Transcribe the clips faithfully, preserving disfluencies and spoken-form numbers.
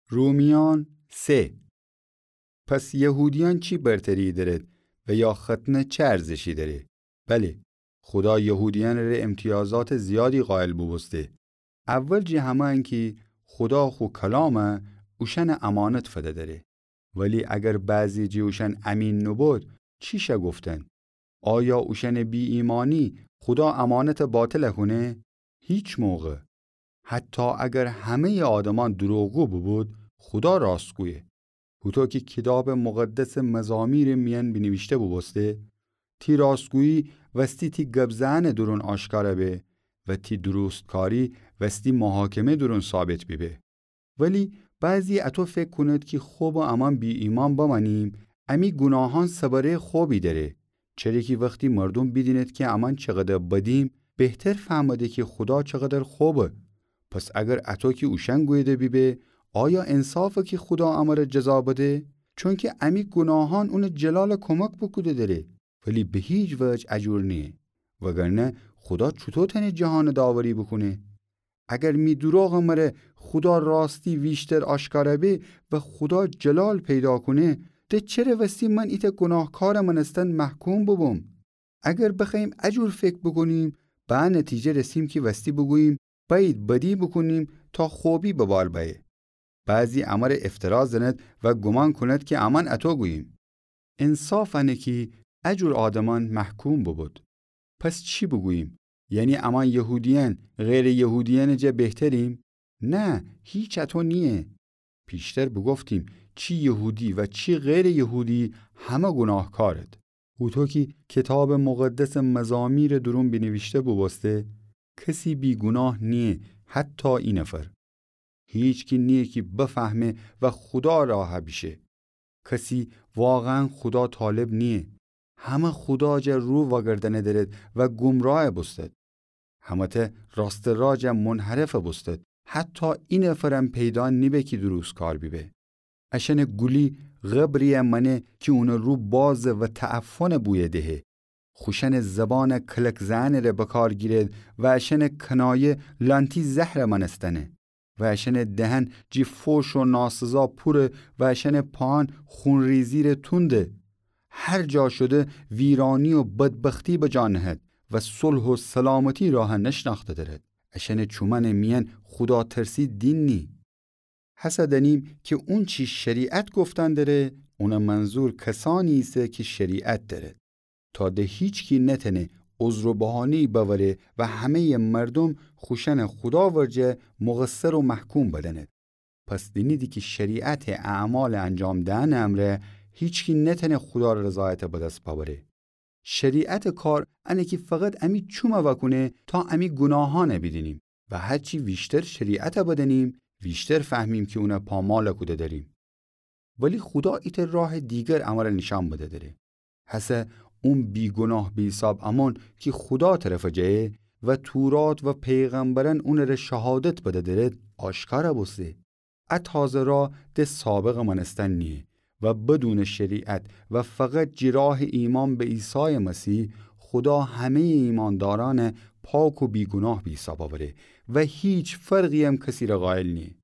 رومیان سه. پس یهودیأن چی برتری دأرد و یا ختنه چه ارزشی دأره؟ بله، خودا یهودیأنٚ ره امتیازاتٚ زیادی قایل بوبوسته. اول جٚه همه انکی خودا خو کلامه اوشأنٚ امانت فده‌دره. ولی اگر بعضی جٚه اوشأن امین نوبود، چی شأ گفتن؟ آیا اوشأنٚ بی‌ایمأنی خودا امانته باطل کونه؟ هیچ موقع. حتی اگر همه‌یٚ آدمأن دروغگو بوبود، خودا راستگویه. هوطو کی کیتابٚ مقدسٚ مزامیرٚ میأن بینیویشته بوبوسته، تی راستگویی وستی تی گب زئنٚ دورون آشکارا به و تی درستکاری وستی محاکمه دورون ثابت بیبه. ولی بعضی اطو فکر کونید کی خب امأن بی‌ایمأن بمأنیم، امی گوناهأن سبره‌یٚ خبی دأره. چره کی وختی مردوم بیدیند کی امأن چقدر بدیم، بهتر فهمده کی خودا چقدر خبه. پس اگر اطو کی اوشأن گویده بیبه، آیا انصافه کی خودا امره جزا بده؟ چونکی امی گوناهأن اونٚ جلال کمک بوکوده دره، ولی به هیچ وجه اجور نییه. وگرنه خودا چوطو تأنه جهانٚ داوری بوکونه؟ اگر می دروغٚ مره خودا راستی ویشتر آشکارا به و خودا جلال پیدا کونه، ده چره وستی من ایتأ گوناهکارٚ مأنستن محکوم بوبوم؟ اگر بخوأییم اجور فکر بوکونیم، به ا نتیجه رسیم کی وستی بوگوییم، بأیید بدی بوکونیم تا خبی به بار بأیه. بعضی امره افترا زند و گومان کونید کی امأن اطو گوییم. انصاف انه کی اجور آدمأن محکوم بوبود. پس چی بوگوییم؟ یعنی امأن یهودیأن غیرٚ یهودیأنٚ جا بهتریم؟ نه، هیچ اطو نییه. پیشتر بوگفتیم، چی یهودی و چی غیرٚ یهودی همه گوناهکارید. هوطو کی کیتابٚ مقدسٚ مزامیرٚ دورون بینیویشته بوبوسته، کسی بی‌گوناه نییه، حتی ای نفر. هیچکی نییه کی بفهمه و خودا راه بیشه. کسی واقعاً خودا طالب نییه. همه خودا جا رو وأگردأنه درد و گمراه بوستد. همه‌تأ راستٚ راه جا منحرف بوستد. حتی ای نفرم پیدا نیبه کی درستکار بیبه. اشأنٚ گولی قبری‌یأ مأنه کی اونٚ رو بازه و تعفنٚ بویه دهه. خوشأنٚ زبانٚ کلک زئنٚ ره بکار گیرد و اشأنٚ کنایه لأنتی زهرٚ مأنستنه. و اشأنٚ دهن جٚه فوش و ناسزا پوره و اشأنٚ پاهأن خونریزی ره تونده. هر جا شده ویرانی و بدبختی به جا نهد و صلح و سلامتی راه نشنأخته درد. اشأنٚ چومأنٚ میأن خوداترسی دین نی. هسه دأنیم کی اونچی شریعت گفتن دره، اونٚ منظور کسأنی ایسه کی شریعت دأرد، تا ده هیچکی نتأنه عذر و بهانه‌یی بأوره و همه‌یٚ مردوم خوشأنٚ خودا ورجه مقصر و محکوم بدأند. پس دینیدی کی شریعتٚ اعمالٚ انجام دئنٚ امرأ هیچکی نتأنه خودارٚ رضایت به دس بأوره. شریعتٚ کار انه کی فقط امی چومه وأکونه تا امی گوناهأنه بیدینیم و هرچی ویشتر شریعته بدأنیم، ویشتر فهمیم کی اونه پامال کوده دأریم. ولی خودا ایتأ راه دیگر امره نیشأن بده دره. هسه اون بیگوناه به حیساب امون کی خودا طرفه جه و تورات و پیغمبرأن اونٚره شهادت بده درد آشکارا بوسته. ا تازه راه ده سابقٚ مأنستن نییه و بدونٚ شریعت و فقط جی راه ایمأن به عیسایٚ مسیح، خودا همه‌یٚ ایمأندارأنه پاک و بیگوناه به حیساب اوره و هیچ فرقی‌یم کسیره قایل نییه.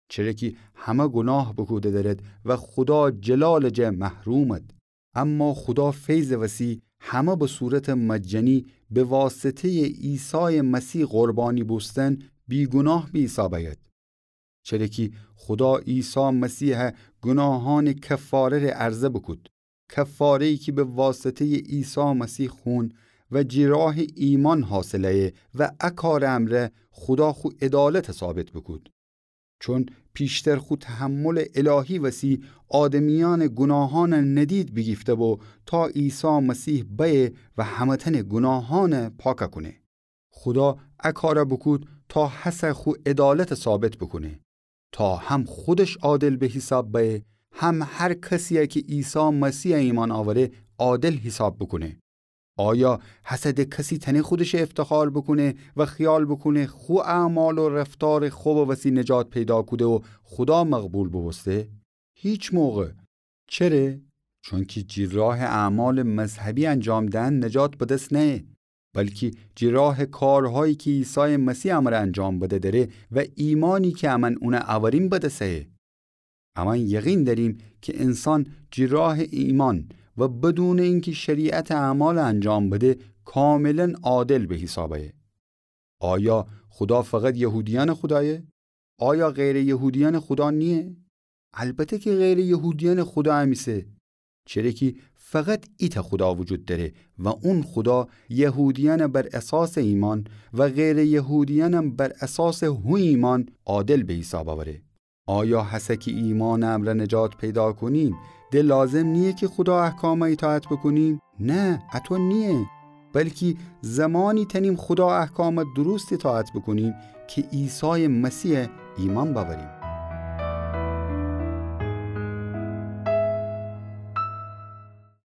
چره کی همه گوناه بوکوده درد و خودا جلالٚ جه محرومد. اما خودا فیضٚ وسی همه به صورتٚ مجانی به واسطه‌یٚ عیسایٚ مسیح قربانی بوستن بیگوناه به حیساب اید. چره کی خودا عیسی مسیح گوناهأنٚ کفاره ره عرضه بوکود. کفاره‌یی کی به واسطه‌یٚ عیسی مسیح خون و جی راه ایمأن حاصل ایه و ا کارٚ امرأ خودا خو عدالت ثابت بوکود. چون پیشتر خو تحملٚ الهی وسی آدمیأنٚ گوناهأنٚ ندید بیگیفته بو تا عیسی مسیح بأیه و همه‌تأنٚ گوناهأنٚ پاکه کونه. خودا ا کاره بوکود تا هسه خو عدالتٚ ثابت بوکونه، تا هم خودش عادل به حیساب بأیه، هم هر کسی‌یه کی عیسی مسیح ایمأن اوره عادل حیساب بوکونه. آیا هسه ده کسی تأنه خودشه افتخار بوکونه و خیال بوکونه خو اعمال و رفتارٚ خوبٚ وسی نجات پیدا کوده و خودا مقبول بوبوسته؟ هیچ موقع. چره؟ چونکی جی راه اعمالٚ مذهبی انجام دئن نجات به دس نأیه، بلکی جی راه کارهایی کی عیسایٚ مسیح امره انجام بده دره و ایمأنی کی امأن اونه اوریم به دس ایه. امأن یقین دأریم کی انسان جٚه راه ایمأن و بدونٚ اینکی شریعتٚ اعمال انجام بده، کاملا عادل به حیساب آیه. آیا خودا فقط یهودیأنٚ خودایه؟ آیا غیرٚ یهودیأنٚ خودا نییه؟ البته کی غیرٚ یهودیأنٚ خودا هم ایسه، چره کی فقط ایتأ خودا وجود دأره و اون خودا یهودیأنٚ بر اساسٚ ایمأن و غیرٚ یهودیأنم بر اساسٚ هو ایمأن عادل به حیساب آوره. آیا هسه کی ایمأنٚ امرأ نجات پیدا کونیم، د لازم نییه کی خودا احکامَ ایطاعت بوکونیم؟ نه، اطو نییه. بلکی زمانی تأنیم خودا احکامَ درست ایطاعت بوکونیم کی عیسایٚ مسیحَ ایمأن بأوریم.